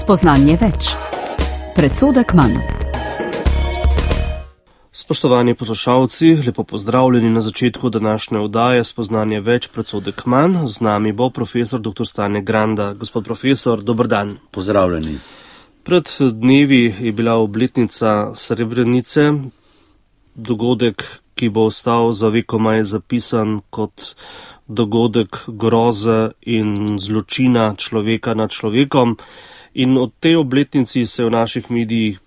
Spoznanje več. Predsodek manj. Spoštovani poslušalci, lepo pozdravljeni na začetku današnje oddaje Spoznanje več, predsodek manj. Z nami bo profesor dr. Stane Granda. Gospod profesor, dober dan. Pozdravljeni. Pred dnevi je bila obletnica Srebrenice, dogodek, ki bo ostal za vekomaj zapisan kot dogodek groze in zločina človeka nad človekom. In o tej obletnici se je v naših medijih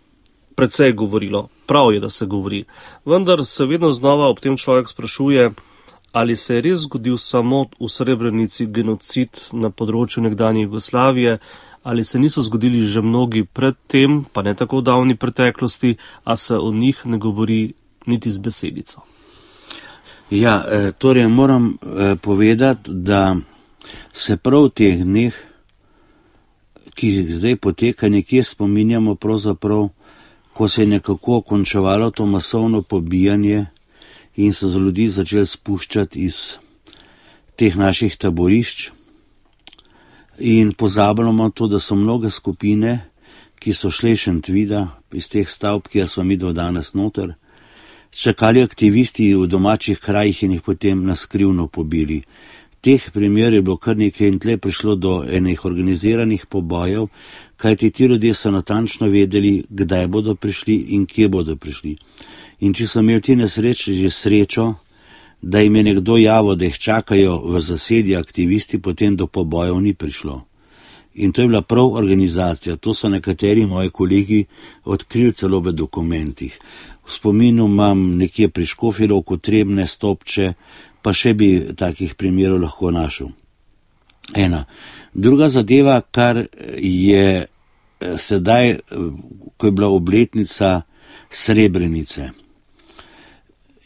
precej govorilo. Prav je, da se govori. Vendar se vedno znova ob tem človek sprašuje, ali se je res zgodil samo v Srebrenici genocid na področju nekdanje Jugoslavije, ali se niso zgodili že mnogi pred tem, pa ne tako davni preteklosti, a se o njih ne govori niti z besedico. Ja, torej moram povedati, da se prav v teh dneh, ki zdaj poteka, nekje spominjamo pravzaprav, ko se je nekako končevalo to masovno pobijanje in so z ljudi začeli spuščati iz teh naših taborišč. In pozabljamo to, da so mnoge skupine, ki so šle iz Šentvida, iz teh stavb, kjer smo mi do danes noter, čakali aktivisti v domačih krajih in jih potem naskrivno pobili. Teh primerov je bilo kar nekaj in tle prišlo do enih organiziranih pobojev, kajti ti ljudje so natančno vedeli, kdaj bodo prišli in kje bodo prišli. In če so imeli ti nesreči že srečo, da jim je nekdo javil, da jih čakajo v zasedi aktivisti, potem do pobojev ni prišlo. In to je bila prav organizacija, to so nekateri moji kolegi odkrili celo v dokumentih. V spominu imam nekje pri Škofji Loku Trebnje, Stopče, pa še bi takih primerov lahko našel. Ena. Druga zadeva, kar je sedaj, ko je bila obletnica Srebrenice,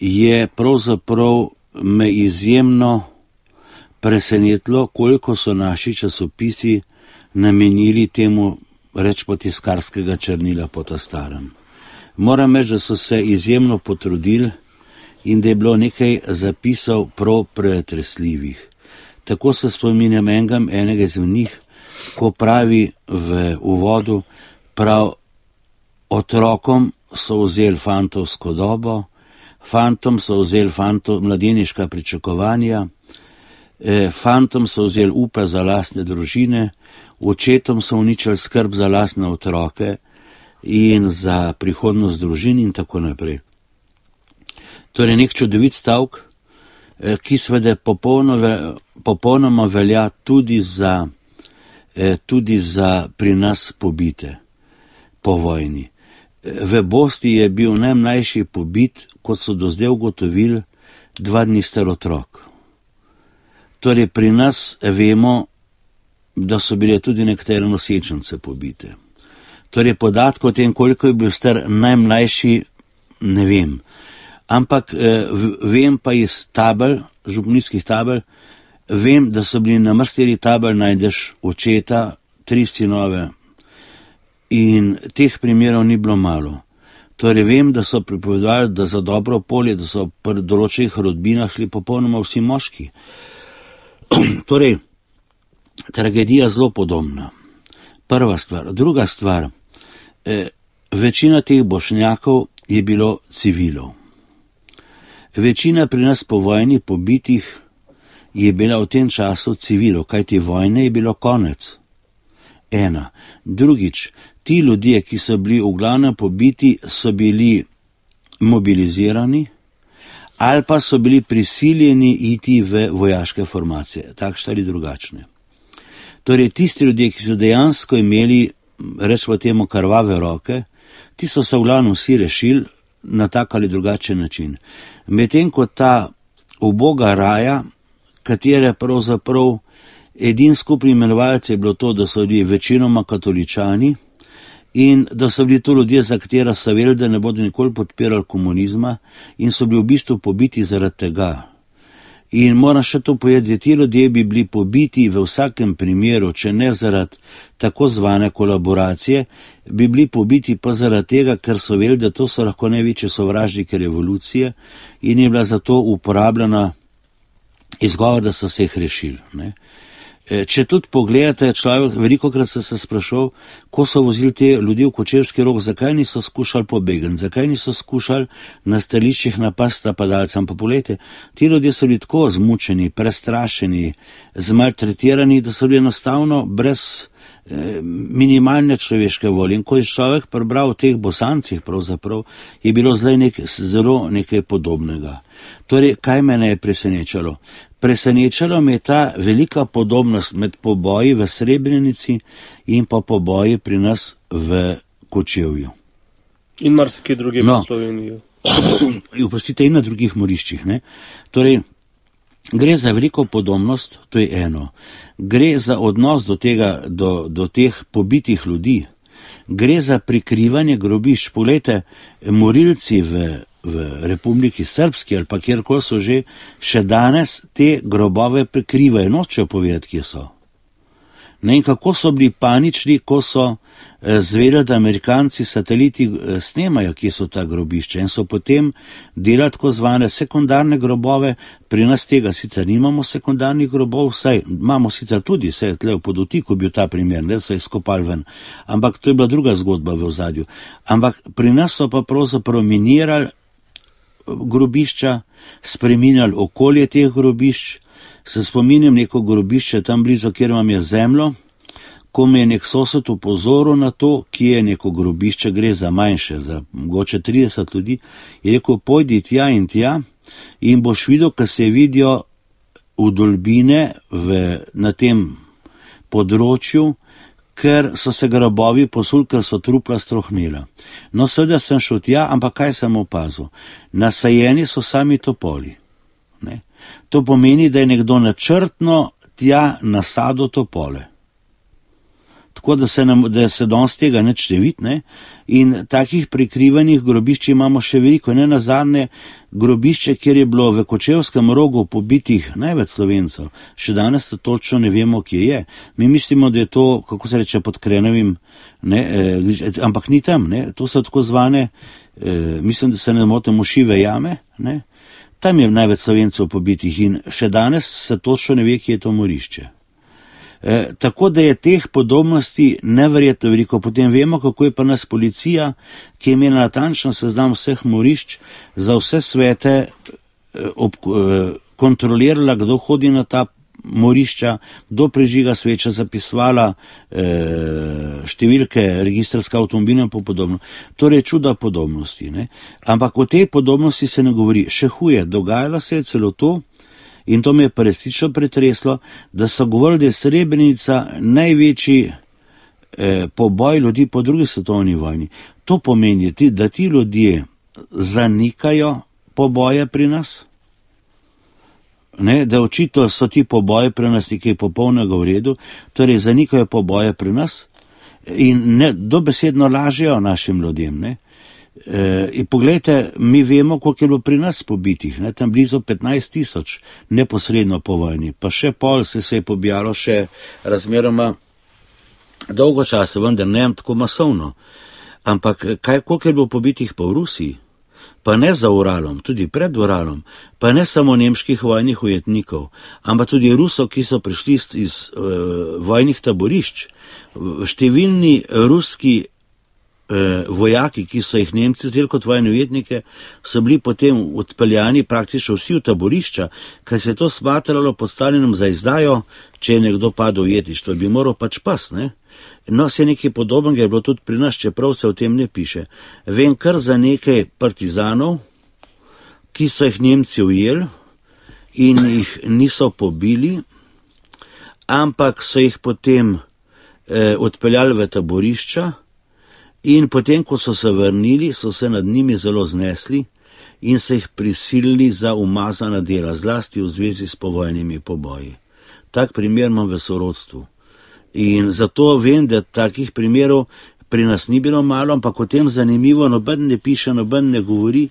je pravzaprav me izjemno presenetilo, koliko so naši časopisi namenili temu rečemo tiskarskega črnila po ta starem. Moram reči, da so se izjemno potrudili in da je bilo nekaj zapisov prav pretresljivih. Tako se spominjam enega izmed njih, ko pravi v uvodu, prav otrokom so vzeli fantovsko dobo, fantom so vzeli mladeniška pričakovanja, fantom so vzeli upe za lastne družine, očetom so uničili skrb za lastne otroke in za prihodnost družin in tako naprej. Torej nek čudovit stavek, ki seveda popolnoma velja tudi za pri nas pobite po vojni. V Bosni je bil najmlajši pobit, kot so do zdaj ugotovili, 2 dni star otrok. Torej pri nas vemo, da so bile tudi nekatere nosečnice pobite. Torej podatkov o tem, koliko je bil star najmlajši, ne vem. Ampak vem pa iz tabel, župnijskih tabel, vem, da so bili na mrsteri tabel najdeš očeta, 3 sinove in teh primerov ni bilo malo. Torej vem, da so pripovedovali, da za dobro polje, da so pri določenih rodbinah šli popolnoma vsi moški. Torej, tragedija zelo podobna. Prva stvar. Druga stvar, večina teh Bošnjakov je bilo civilov. Večina pri nas po vojni pobitih je bila v tem času civilov, kajti vojne je bilo konec. Ena. Drugič, ti ljudje, ki so bili v glavnem pobiti, so bili mobilizirani ali pa so bili prisiljeni iti v vojaške formacije, takšne ali drugačne. Torej, tisti ljudje, ki so dejansko imeli, rečemo temu, krvave roke, ti so se v glavnem vsi rešili na tak ali drugačen način. Medtem ko ta uboga raja, katere pravzaprav edin skupni imenovalec je bilo to, da so bili večinoma katoličani in da so bili to ljudje, za katera so vedeli, da ne bodo nikoli podpirali komunizma in so bili v bistvu pobiti zaradi tega. In moram še to povedati, ti ljudje bi bili pobiti v vsakem primeru, če ne zaradi tako zvane kolaboracije, bi bili pobiti pa zaradi tega, ker so vedeli, da to so lahko največje sovražnike revolucije in je bila zato uporabljena izgovor, da so se jih rešili. Ne? Če tudi pogledate, človek, velikokrat se sprašal, ko so vozili te ljudi v Kočevski Rog, zakaj niso skušali pobegati, zakaj niso skušali na stališčih napasti napadalcem. Pa poglejte, ti ljudje so bili tako zmučeni, prestrašeni, zmaltretirani, da so bili enostavno brez minimalne človeške volje. In ko je človek prebral o teh Bosancih, pravzaprav, je bilo zdaj zelo nekaj podobnega. Torej, kaj mene je presenečalo? Presenečalo me je ta velika podobnost med poboji v Srebrenici in pa poboji pri nas v Kočevju. In marsikaj druge v Sloveniji. Oprostite, in na drugih moriščih. Ne? Torej, gre za veliko podobnost, to je eno. Gre za odnos do teh pobitih ljudi. Gre za prikrivanje grobišč. Poglejte, morilci v Republiki Srpski ali pa kjerkoli so že, še danes te grobove prikrivajo, nočejo povedati, kje so. Ne, in kako so bili panični, ko so zvedeli, da Amerikanci sateliti snemajo, kje so ta grobišča, in so potem delali tako zvane sekundarne grobove. Pri nas tega sicer nimamo sekundarnih grobov, saj imamo sicer tudi, saj tle v Podutiku bil ta primer, da so izkopali ven, ampak to je bila druga zgodba v ozadju. Ampak pri nas so pa pravzaprav minirali grobišča, spreminjali okolje teh grobišč. Se spominjam neko grobišče tam blizu, kjer vam je zemljo, ko me je nek sosed upozoril na to, kje je neko grobišče, gre za manjše, za mogoče 30 ljudi, je rekel, pojdi tja in boš videl, ko se vidijo vdolbine na tem področju, ker so se grobovi posuli, ker so trupla strohnela. No, seveda sem šel tja, ampak kaj sem opazil? Nasajeni so sami topoli. Ne? To pomeni, da je nekdo načrtno tja nasadil topole. Tako da se danes tega nič ne vidi, ne? In takih prikrivanih grobišč imamo še veliko. Ne nazadnje grobišče, kjer je bilo v Kočevskem Rogu pobitih največ Slovencev, še danes točno ne vemo, kje je. Mi mislimo, da je to, kako se reče, pod Krenovim, ampak ni tam, ne? To so tako zvane, mislim, da se ne motim, Mušive jame, ne? Tam je največ Slovencev pobitih in še danes se točno ne ve, kje je to morišče. Tako da je teh podobnosti neverjetno veliko. Potem vemo, kako je pa nas policija, ki je imela natančno seznam vseh morišč, za vse svete kontrolirala, kdo hodi na ta morišča, kdo prižiga sveče, zapisovala številke registrska avtomobila in podobno. Torej čuda podobnosti. Ne? Ampak o tej podobnosti se ne govori. Še huje, dogajalo se je celo to, in to me je pa resnično pretreslo, da so govorili, da je Srebrenica največji poboj ljudi po drugi svetovni vojni. To pomeni, da ti ljudje zanikajo poboje pri nas, ne, da očitno so ti poboje pri nas nekaj popolnega v redu, torej zanikajo poboje pri nas in dobesedno lažejo našim ljudem. Ne. In poglejte, mi vemo, koliko je bilo pri nas pobitih, ne, tam blizu 15 000 neposredno po vojni, pa še pol se je pobijalo še razmeroma dolgo časa, vendar ne tako masovno. Ampak koliko je bilo pobitih pa v Rusiji, pa ne za Uralom, tudi pred Uralom, pa ne samo nemških vojnih ujetnikov, ampak tudi Rusov, ki so prišli iz vojnih taborišč. Številni ruski vojaki, ki so jih Nemci vzeli kot vojne ujetnike, so bili potem odpeljani praktično vsi v taborišča, ker se je to smatralo postavljenim za izdajo, če je nekdo padel v jetištvo, bi moral pač pas, ne? No, se nekaj podobnega je bilo tudi pri nas, čeprav se o tem ne piše. Vem kar za nekaj partizanov, ki so jih Nemci ujeli in jih niso pobili, ampak so jih potem odpeljali v taborišča. In potem, ko so se vrnili, so se nad njimi zelo znesli in se jih prisilili za umazana dela, zlasti v zvezi s povojnimi poboji. Tak primer imam v sorodstvu. In zato vem, da takih primerov pri nas ni bilo malo, ampak o tem zanimivo, noben ne piše, noben ne govori.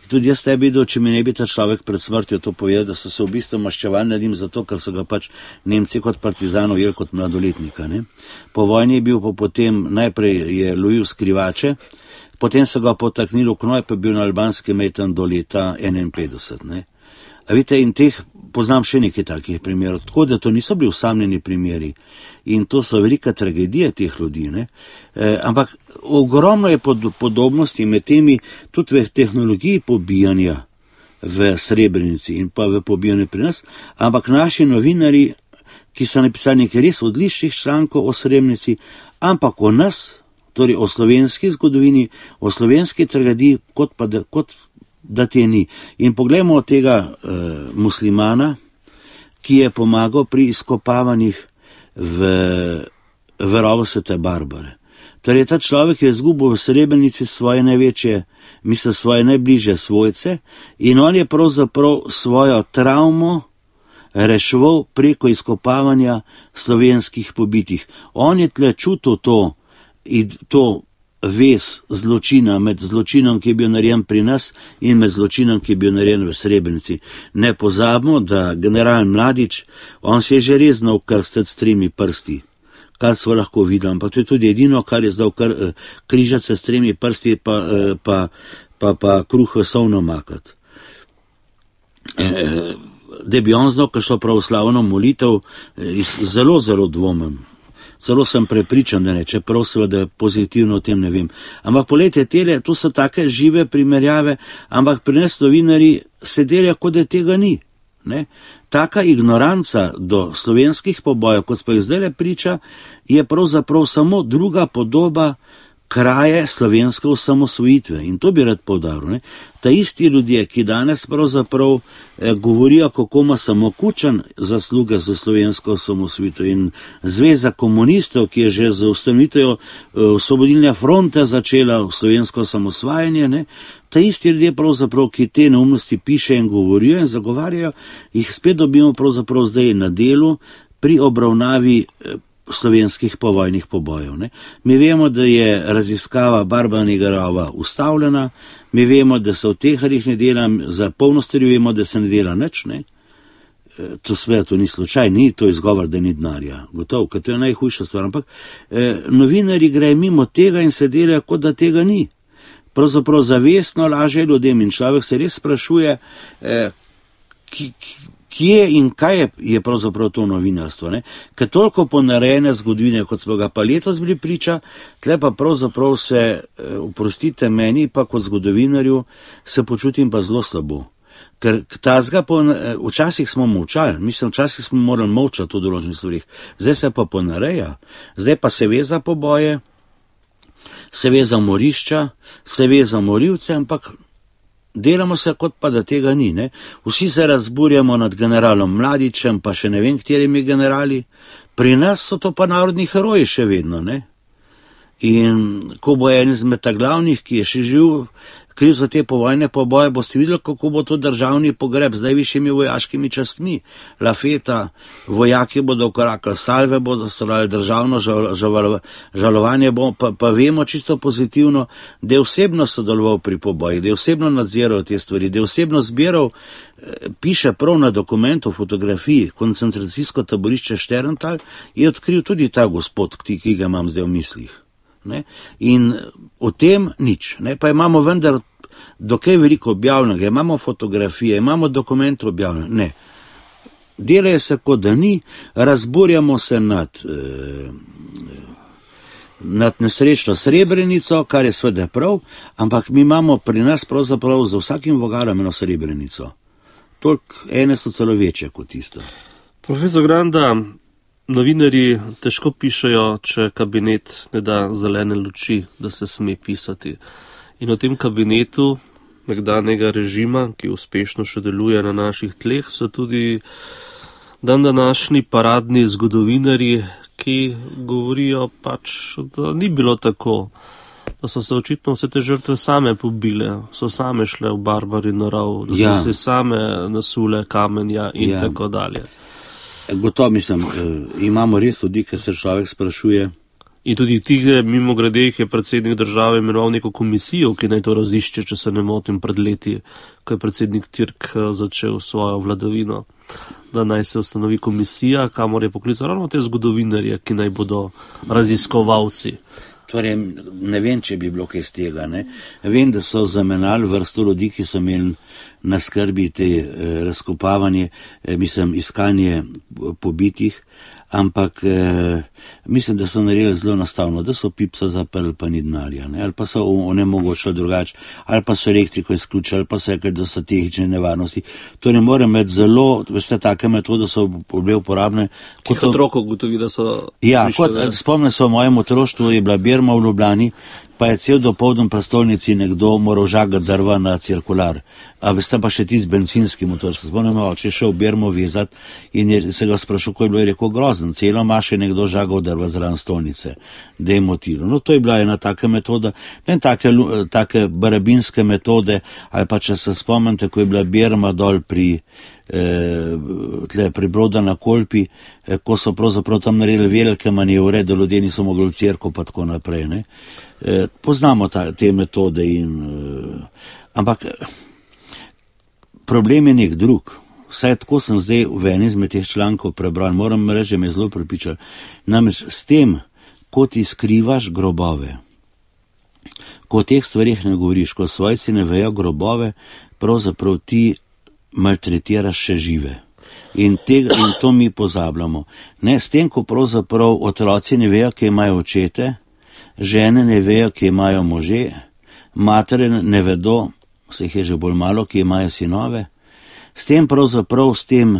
Tudi jaz ne bi videl, če mi ne bi ta človek pred smrtjo to povedal, da so se v bistvu maščevali nad njim zato, ker so ga pač Nemci kot partizanov jeli kot mladoletnika. Ne? Po vojni je bil potem, najprej je lovil skrivače, potem so ga potaknili v knoj, pa je bil na albanskem metan do leta 51. Ne? Vidite, in teh poznam še nekaj takih primerov, tako da to niso bili osamljeni primeri in to so velika tragedija teh ljudi, ne? Ampak ogromno je podobnosti med temi tudi v tehnologiji pobijanja v Srebrenici in pa v pobijanju pri nas, ampak naši novinari, ki so napisali nekaj res odličnih člankov o Srebrenici, ampak o nas, torej o slovenski zgodovini, o slovenski tragediji, kot da te ni. In poglejmo tega muslimana, ki je pomagal pri izkopavanjih v rovu Svete Barbare. Torej ta človek je izgubil v Srebrenici svoje največje, svoje najbližje svojce in on je pravzaprav svojo travmo reševal preko izkopavanja slovenskih pobitih. On je tle čutil to vez zločina med zločinom, ki je bil narejen pri nas in med zločinom, ki je bil narejen v Srebrenici. Ne pozabimo, da general Mladić, on se je že res znal krstiti s 3 prsti, kar smo lahko videli, ampak to je tudi edino, kar je znal križati se s 3 prsti pa kruh v solno makati. Da bi on znal kakšno pravoslavno molitev, zelo, zelo dvomim. Celo sem prepričan, da ne, čeprav seveda pozitivno o tem ne vem. Ampak poglejte, to so take žive primerjave, ampak pri nas novinarji se delajo, kot da tega ni. Ne? Taka ignoranca do slovenskih pobojev, kot smo jih zdaj priča, je pravzaprav samo druga podoba kraje slovenske osamosvojitve. In to bi rad poudaril. Ne? Ta isti ljudje, ki danes pravzaprav govorijo, kako ima samo Kučan zasluge za slovensko osamosvojitev in Zveza komunistov, ki je že z ustanovitvijo Osvobodilne fronte začela slovensko osamosvajanje, ne? Ta isti ljudje pravzaprav, ki te neumnosti piše in govorijo in zagovarjajo, jih spet dobimo pravzaprav zdaj na delu pri obravnavi slovenskih povojnih pobojev. Ne? Mi vemo, da je raziskava Barbanega rova ustavljena, mi vemo, da se v Teharjih ne dela, za polnostrju vemo, da se ne dela nič, ne? To sve, to ni slučaj, ni to izgovor, da ni denarja, gotovo, ker to je najhujša stvar, ampak novinari grejo mimo tega in se delajo, kot da tega ni. Pravzaprav zavestno laže ljudem in človek se res sprašuje, kje in kaj je pravzaprav to novinarstvo, ne? Ker toliko ponarejene zgodovine, kot smo ga pa letos bili priča, tle pa pravzaprav se, oprostite meni, pa kot zgodovinarju, se počutim pa zelo slabo. Ker včasih smo molčali, včasih smo morali molčati o določenih stvarih, zdaj se pa ponareja, zdaj pa se ve za poboje, se ve za morišča, se ve za morilce, ampak delamo se, kot pa da tega ni. Ne? Vsi se razburjamo nad generalom Mladićem, pa še ne vem, katerimi generali. Pri nas so to pa narodni heroji še vedno. Ne? In ko bo en izmed glavnih, ki je še živ, kriv za te povojne poboje, boste videli, kako bo to državni pogreb z najvišjimi vojaškimi častmi. Lafeta, vojaki bodo ukorakali, salve bodo stvarali, državno žalovanje bo, pa vemo čisto pozitivno, da je osebno sodeloval pri pobojih, da je osebno nadziral te stvari, da je osebno zbiral, piše prav na dokumentu, fotografiji, koncentracijsko taborišče Šterntal, je odkril tudi ta gospod, ki ga imam zdaj v mislih. Ne? In o tem nič, ne? Pa imamo vendar dokaj veliko objavljenega, imamo fotografije, imamo dokumente objavljene, ne. Delajo se, kot da ni, razburjamo se nad nesrečno Srebrenico, kar je sveda prav, ampak mi imamo pri nas pravzaprav za vsakim vogalom eno Srebrenico. Toliko ene so celo večje kot tisto. Profesor Granda, novinarji težko pišejo, če kabinet ne da zelene luči, da se sme pisati. In v tem kabinetu nekdanjega režima, ki uspešno še deluje na naših tleh, so tudi današnji paradni zgodovinarji, ki govorijo pač, da ni bilo tako, da so se očitno vse te žrtve same pobile, so same šle v Barbarin rov, da so se same nasule kamenja in tako dalje. Gotovo mislim, imamo res ljudi, ki se človek sprašuje. In tudi tih, mimo grede, je predsednik države imenoval neko komisijo, ki naj to razišče, če se ne motim, pred leti, ko je predsednik Türk začel svojo vladavino, da naj se ustanovi komisija, kamor je poklical ravno te zgodovinarje, ki naj bodo raziskovalci. Torej, ne vem, če bi bilo kaj z tega, ne. Vem, da so zamenjali vrsto ljudi, ki so imeli na skrbi te razkopavanje, iskanje pobitih, ampak mislim, da so naredili zelo enostavno, da so Pipsa zaprli, pa ni denarja, ne, ali pa so onemogočili drugače, ali pa so elektriko izključili, ali pa so rekli, da so tehnične nevarnosti. To ne more imeti zelo, veste, take metode so bile uporabne. Kot otrok ugotovi, da so... Ja, spomnim se v mojem otroštvu, je bila Birma v Ljubljani, pa je cel dopoldan v prestolnici nekdo moral žagati drva na cirkular. A veste pa še ti z bencinski motor. Se spomnim, oče je šel v Birmo vezati in se ga sprašal, ko je bilo, je rekel, grozen, celo maš je nekdo žagal drva zraven stolnice, da je motilo. No, to je bila ena taka metoda, ne take barabinske metode, ali pa če se spomnite, ko je bila Birma dol pri Broda na Kolpi, ko so pravzaprav tam naredili velike manevre, da ljudje niso mogli v cerkev pa tako naprej, ne. Poznamo te metode ampak problem je nek drug. Vsaj tako sem zdaj v eni izmed teh člankov prebral, moram reči, me je zelo prepričal. Namreč s tem, ko ti skrivaš grobove, ko o teh stvarih ne govoriš, ko svojci ne vejo grobove, pravzaprav ti maltretiraš še žive. In to mi pozabljamo. Ne, s tem, ko pravzaprav otroci ne vejo, kje imajo očete, žene ne vejo, kje imajo može, matere ne vedo, se jih je že bolj malo, kje imajo sinove, s tem pravzaprav, s tem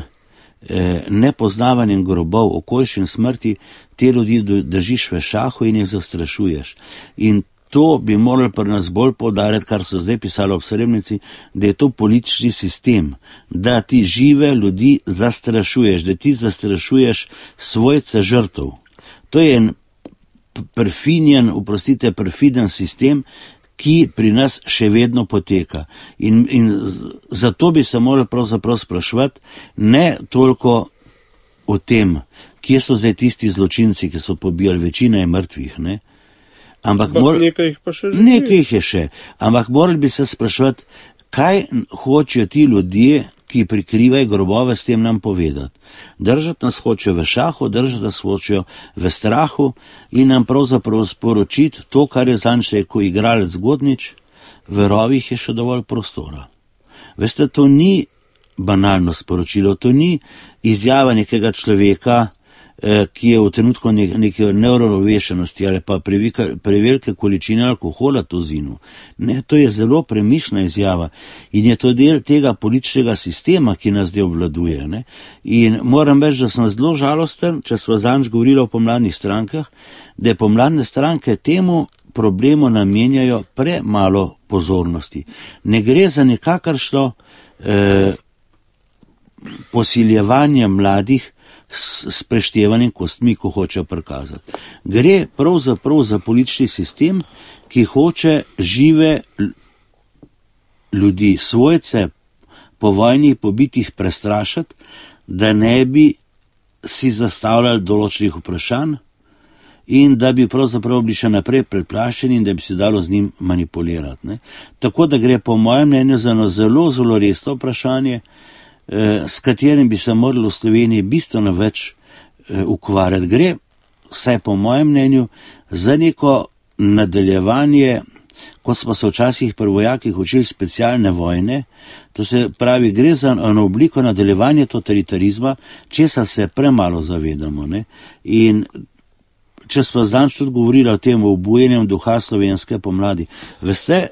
nepoznavanjem grobov, okoliščin smrti, te ljudi držiš v šahu in jih zastrašuješ. In to bi morali pri nas bolj poudarjati, kar so zdaj pisali ob Srebrenici, da je to politični sistem, da ti žive ljudi zastrašuješ, da ti zastrašuješ svojce žrtev. To je en perfiden sistem, ki pri nas še vedno poteka. In zato bi se morali pravzaprav spraševati ne toliko o tem, kje so zdaj tisti zločinci, ki so pobijali, večina je mrtvih, ne? Ampak nekaj jih pa še živi. Nekaj jih je še, ampak morali bi se spraševati, kaj hočejo ti ljudje, ki prikrivajo grobove, s tem nam povedati. Držati nas hočejo v šahu, držati nas hočejo v strahu in nam pravzaprav sporočiti to, kar je zanj rekel igralec Godnič, v rovih je še dovolj prostora. Veste, to ni banalno sporočilo, to ni izjava nekega človeka, ki je v trenutku neke neuravnovešenosti ali pa prevelike količine alkohola to zinu. Ne, to je zelo premišljena izjava in je to del tega političnega sistema, ki nas zdaj obvladuje. Ne? In moram reči, da sem zelo žalosten, če sva zanj govorila o pomladnih strankah, da pomladne stranke temu problemu namenjajo premalo pozornosti. Ne gre za nikakršno posiljevanje mladih s preštevanjem kostmi, ko hoče prikazati. Gre pravzaprav za politični sistem, ki hoče žive ljudi, svojce po vojni pobitih prestrašiti, da ne bi si zastavljali določenih vprašanj in da bi pravzaprav bili še naprej preplašeni in da bi se dalo z njim manipulirati. Ne? Tako da gre po mojem mnenju za eno zelo, zelo resno vprašanje, s katerim bi se morali v Sloveniji bistveno več ukvarjati. Gre, vsaj po mojem mnenju, za neko nadaljevanje, ko smo se včasih pri vojakih učili specialne vojne, to se pravi, gre za eno obliko nadaljevanja totalitarizma, česar se premalo zavedamo. Ne? In če smo zdaj tudi govorili o tem obujenjem duha slovenske pomladi, veste,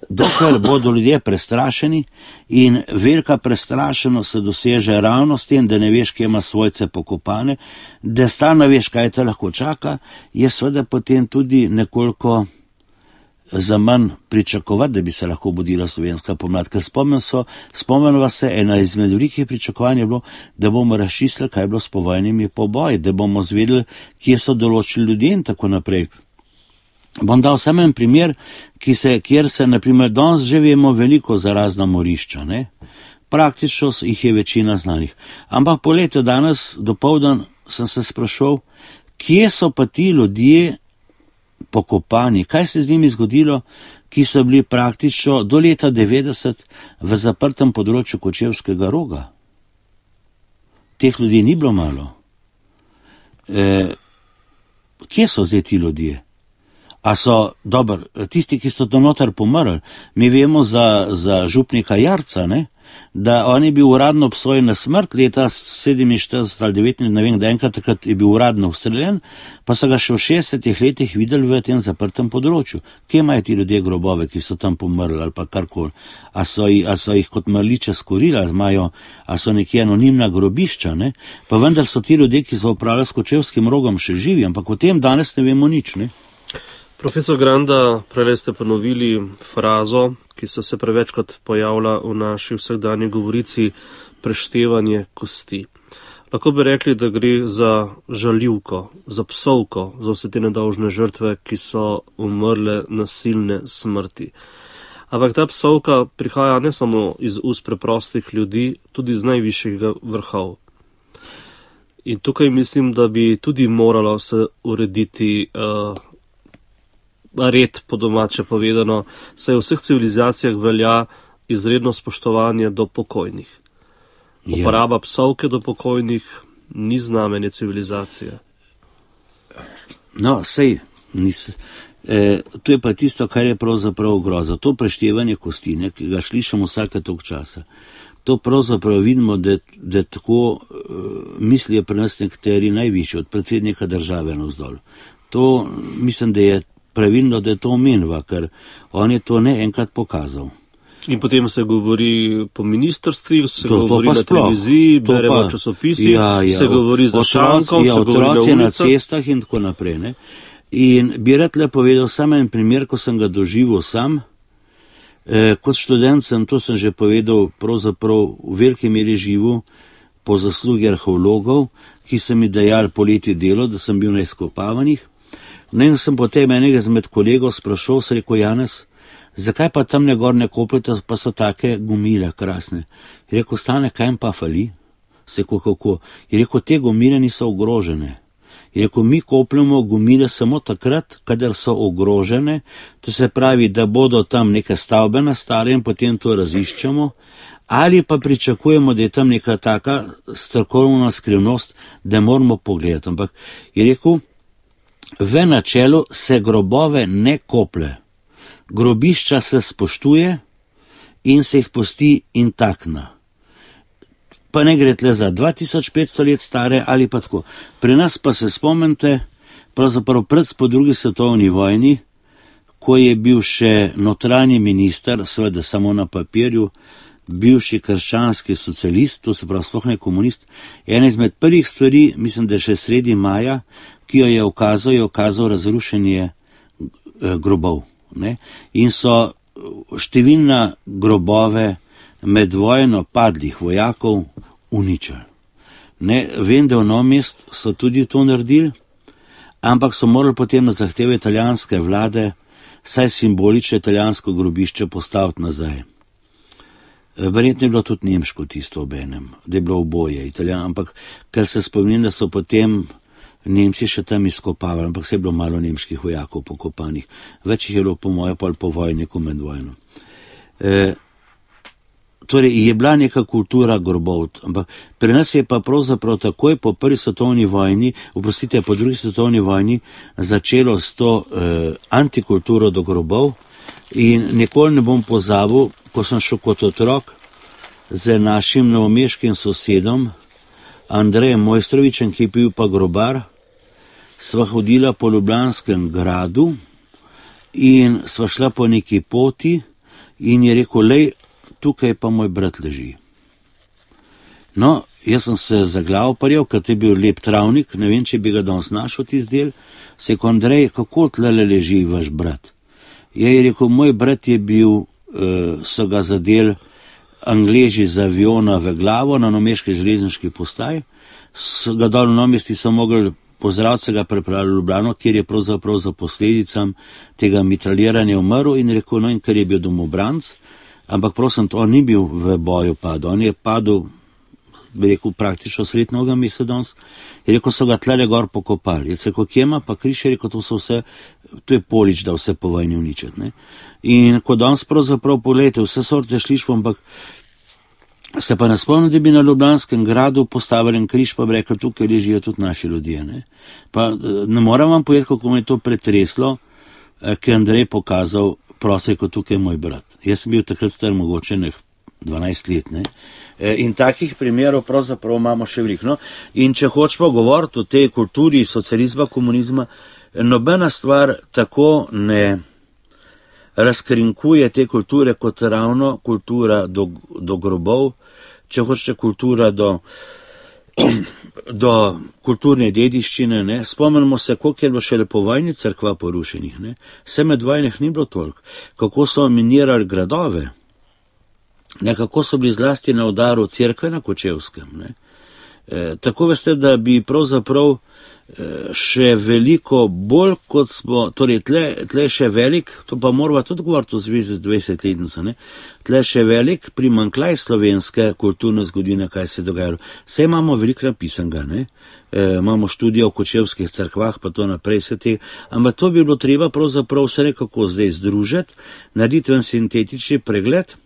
dokler bodo ljudje prestrašeni in velika prestrašenost se doseže ravno s tem, da ne veš, kje ima svojce pokopane, da stalno veš, kaj te lahko čaka, je seveda potem tudi nekoliko za manj pričakovati, da bi se lahko budila slovenska pomlad. Ker spomnimo se, ena izmed velikih pričakovanj je bilo, da bomo razčistili, kaj je bilo s povojnimi poboji, da bomo zvedeli, kje so določili ljudje in tako naprej. Bom dal samo en primer, kjer se, naprimer, danes že vemo veliko za razna morišča, ne? Praktično jih je večina znanih. Ampak po letu danes, dopoldan, sem se sprašal, kje so pa ti ljudje pokopani, kaj se z njimi zgodilo, ki so bili praktično do leta 90 v zaprtem področju Kočevskega Roga. Teh ljudi ni bilo malo. Kje so zdaj ti ljudje? A so, tisti, ki so to noter pomrli, mi vemo za župnika Jarca, ne? Da on je bil uradno obsojen na smrt leta 47 ali 19, ne vem, da enkrat takrat je bil uradno ustreljen, pa so ga še v 60 letih videli v tem zaprtem področju. Kje imajo ti ljudje grobove, ki so tam pomrli ali pa karkoli? A so jih kot mrliče skorili, a so nekje anonimna grobišča, ne? Pa vendar so ti ljudje, ki so upravljali s Kočevskim Rogom, še živi, ampak o tem danes ne vemo nič, ne? Profesor Granda, prej ste ponovili frazo, ki so se prevečkrat pojavlja v naši vsakdanji govorici, preštevanje kosti. Lahko bi rekli, da gre za žaljivko, za psovko, za vse te nedolžne žrtve, ki so umrle nasilne smrti. Ampak ta psovka prihaja ne samo iz ust preprostih ljudi, tudi z najvišjega vrhov. In tukaj mislim, da bi tudi moralo se urediti red, po domače povedano, saj v vseh civilizacijah velja izredno spoštovanje do pokojnih. Uporaba psovke do pokojnih ni znamenje civilizacije. No, to je pa tisto, kar je pravzaprav groza. To preštevanje kostine, ki ga slišamo vsake toliko časa, to pravzaprav vidimo, da tako mislijo pri nas nekateri najvišji, od predsednika države navzdol. To mislim, da je pravilno, da je to omenva, ker on je to ne enkrat pokazal. In potem se govori po ministrstvih, se govori na televiziji, beremo v časopisih, se govori za šankom, se govori na ulicah. Na cestah in tako naprej. Ne? In bi rad le povedal samo en primer, ko sem ga doživel sam. Kot študent to sem že povedal, pravzaprav v veliki meri živel po zaslugi arheologov, ki so mi dajali poleti delo, da sem bil na izkopavanjih. In sem potem enega izmed kolegov sprašal, se rekel: Janez, zakaj pa tam gor ne kopljete, pa so take gumile krasne? Je rekel: Stane, kaj jim pa fali? Se rekel: kako? Je rekel: te gumile niso ogrožene. Je rekel: mi kopljamo gumile samo takrat, kadar so ogrožene, to se pravi, da bodo tam neke stavbe nastale in potem to raziščemo, ali pa pričakujemo, da je tam neka taka strokovna skrivnost, da moramo pogledati. Ampak je rekel, v načelu se grobove ne koplje, grobišča se spoštuje in se jih pusti intaktna. Pa ne gre tle za 2500 let stare ali pa tako. Pri nas pa se spomnite, pravzaprav po drugi svetovni vojni, ko je bil še notranji minister, seveda samo na papirju, bivši krščanski socialist, to se pravi sploh ne komunist, ena izmed prvih stvari, mislim, da še sredi maja, ki jo je ukazal razrušenje grobov. Ne? In so številna grobove med vojno padlih vojakov uničili. Vem, da v Novem mestu so tudi to naredili, ampak so morali potem na zahteve italijanske vlade saj simbolično italijansko grobišče postaviti nazaj. Verjetno je bilo tudi nemško tisto obenem, da je bilo oboje italijan, ampak ker se spomnim, da so potem Nemci še tam izkopavali, ampak se je bilo malo nemških vojakov pokopanih. Več jih je bilo po moje pol po vojni, ko med vojno. Torej, je bila neka kultura grobov, ampak pri nas je pa pravzaprav takoj po prvi svetovni vojni, po drugi svetovni vojni, začelo s to antikulturo do grobov in nikoli ne bom pozabil, ko sem šel kot otrok z našim novomeškim sosedom, Andrejem Mojstrovičem, ki je bil pa grobar, sva hodila po Ljubljanskem gradu in sva šla po neki poti in je rekel: lej, tukaj pa moj brat leži. No, jaz sem se za glavo parjal, ker je bil lep travnik, ne vem, če bi ga danes našel tisti del. Se je rekel: Andrej, kako tlele leži vaš brat? Je rekel: moj brat je bil, so ga zadeli Angleži z aviona v glavo na novomeški železniški postaji, ga dol v Novomesti so mogli pozdraviti, se ga prepravili v Ljubljano, kjer je pravzaprav za posledicam tega mitraljiranja umrl in rekel: no, in ker je bil domobranc, ampak prosim, on ni bil v boju padel, on je padel, bi rekel, praktično sred Novega mesta danes, je rekel, so ga tlele gor pokopali. Jaz rekel: kje ima pa križ? Je rekel: to je Polič, da vse po vojni uničiti. Ne? In ko danes pravzaprav pogledajte, vse sorte šlišpo, ampak se pa ne spomnim, da bi na Ljubljanskem gradu postavili križ, pa bi rekli: tukaj ležijo tudi naši ljudje. Ne? Pa ne moram vam povedati, kako me je to pretreslo, ki je Andrej pokazal, prosil, kot tukaj je moj brat. Jaz sem bil takrat star mogoče 12 let, ne. In takih primerov pravzaprav imamo še veliko. No? In če hočemo govoriti o tej kulturi socializma, komunizma, nobena stvar tako ne razkrinkuje te kulture kot ravno kultura do grobov, če hočete kultura do kulturne dediščine. Ne? Spomnimo se, koliko je bilo šele po vojni cerkva porušenih. Ne? Vse med vojnih ni bilo toliko. Kako so minirali gradove. Nekako so bili zlasti na udaru cerkve na Kočevskem. Ne? Tako veste, da bi pravzaprav še veliko bolj kot smo, torej tle še velik, to pa moramo tudi govoriti v zvezi z 20-letnico, ne? Tle še velik primanjkljaj slovenske kulturne zgodovine, kaj se je dogajalo. Vse imamo veliko napisanega, ne? Imamo študijo o kočevskih cerkvah, pa to naprej se te, ampak to bi bilo treba pravzaprav vse nekako zdaj združiti, narediti en sintetični pregled,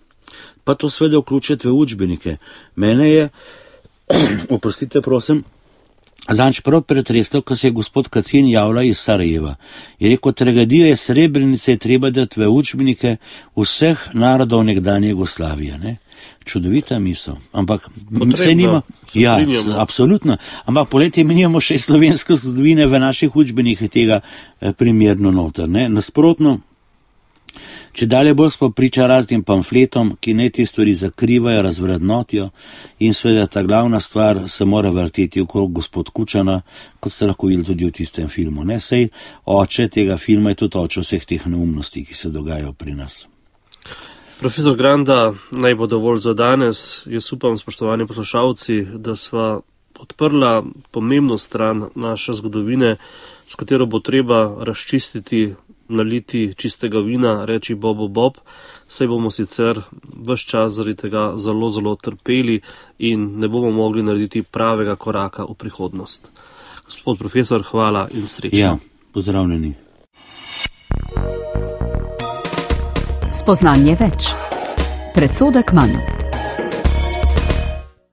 pa to seveda vključiti v učbenike. Mene je, oprostite prosim, zadnjič prav pretresel, ko se je gospod Kacin javlja iz Sarajeva. Je rekel, tragedijo je Srebrenice je treba dati v učbenike vseh narodov nekdanje Jugoslavije. Ne? Čudovita misel. Ampak se nima. Ja, absolutno. Ampak poletje mi nimamo še slovenske zgodovine v naših učbenikih tega primerno noter. Ne? Nasprotno, če dalje bolj smo priča raznim pamfletom, ki ne te stvari zakrivajo, razvrednotijo in seveda ta glavna stvar se mora vrteti okrog gospod Kučana, kot ste lahko videli tudi v tistem filmu. Ne? Sej oče tega filma je tudi oče vseh teh neumnosti, ki se dogajajo pri nas. Profesor Granda, naj bo dovolj za danes. Jaz upam, spoštovani poslušalci, da sva odprla pomembno stran naše zgodovine, s katero bo treba razčistiti, naliti čistega vina, reči bobu bob, saj bomo sicer ves čas zaradi tega zelo, zelo trpeli in ne bomo mogli narediti pravega koraka v prihodnost. Gospod profesor, hvala in srečno. Ja, pozdravljeni. Spoznanje več. Predsodek manj.